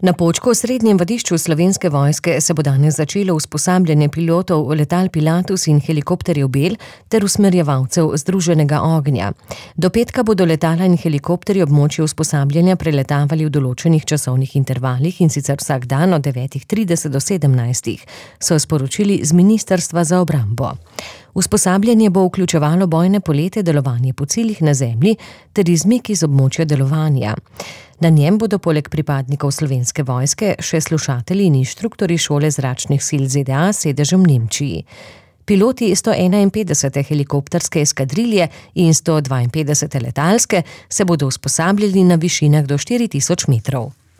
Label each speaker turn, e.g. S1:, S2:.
S1: Na Počku, srednjem vadišču Slovenske vojske, se bo danes začelo usposabljanje pilotov letal Pilatus in helikopterjev Bell ter usmerjevalcev združenega ognja. Do petka bodo letala in helikopterji območje usposabljanja preletavali v določenih časovnih intervalih, in sicer vsak dan od 9:30 do 17, so sporočili z Ministrstva za obrambo. Usposabljanje bo vključevalo bojne polete, delovanje po ciljih na zemlji ter izmik iz območja delovanja. Na njem bodo poleg pripadnikov Slovenske vojske še slušatelji in inštruktorji šole zračnih sil ZDA s sedežem v Nemčiji. Piloti 151. helikopterske eskadrilje in 152. letalske se bodo usposabljali na višinah do 4000 metrov.